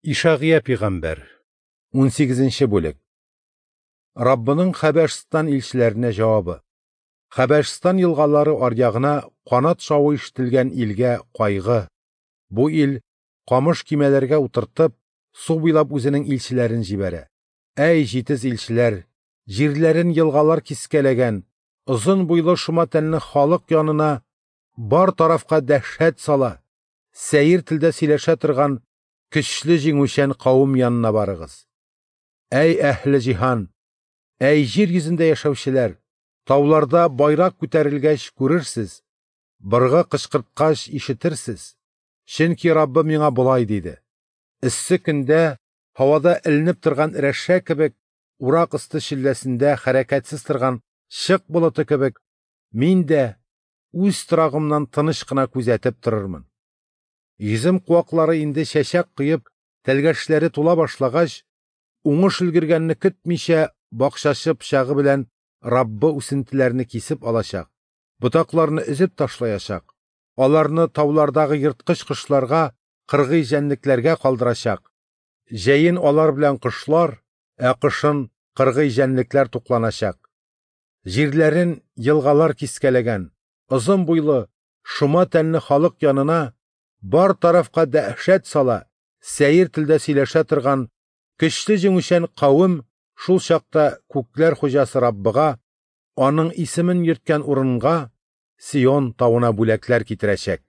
Ишагыя пигамбәр, 18 бүлек. Раббының Хәбәшстан илчеләренә җавабы. Хәбәшстан елгалары аръягына канат шавы ишетелгән илгә кайгы. Бу ил камыш кимәләргә утыртып, су буйлап үзенең илчеләрен җибәрә. Әй, җитез илчеләр, җирләрен елгалар кискәләгән, озын буйлы шома тәнле халык янына бар тарафка дәһшәт сала, сәер телдә сөйләшә торган көчле җиңүчән кавым янына барыгыз. Әй әһле җиһан, әй җир йөзендә яшәүчеләр, тауларда байрак күтәрелгәч күрерсез, быргы кычкырткач ишетерсез. Чөнки Раббы миңа болай диде: Эссе көндә һавада эленеп торган рәшә кебек, урак өсте челләсендә хәрәкәтсез торган чык болыты кебек, мин дә үз торагымнан тыныч кына күзәтеп торырмын. Йөзем куаклары инде чәчәк коеп, тәлгәшләре тула башлагач, уңыш өлгергәнне көтмичә, бакчачы пычагы белән Раббы үсентеләрне кисеп алачак, ботакларны өзеп ташлаячак, аларны таулардагы ерткыч кошларга, кыргый җәнлекләргә калдырачак. Җәен алар белән кошлар, ә кышын кыргый җәнлекләр тукланачак. Җирләрен елгалар кискәләгән, озын буйлы, шома тәнле халык янына бар тарафка дәһшәт сала, сәер телдә сөйләшә торган көчле җиңүчән кавем шул чакта күкләр хуҗасы Раббыга, аның исемен йөрткән урынга, Сион тавына бүләкләр китерәчәк.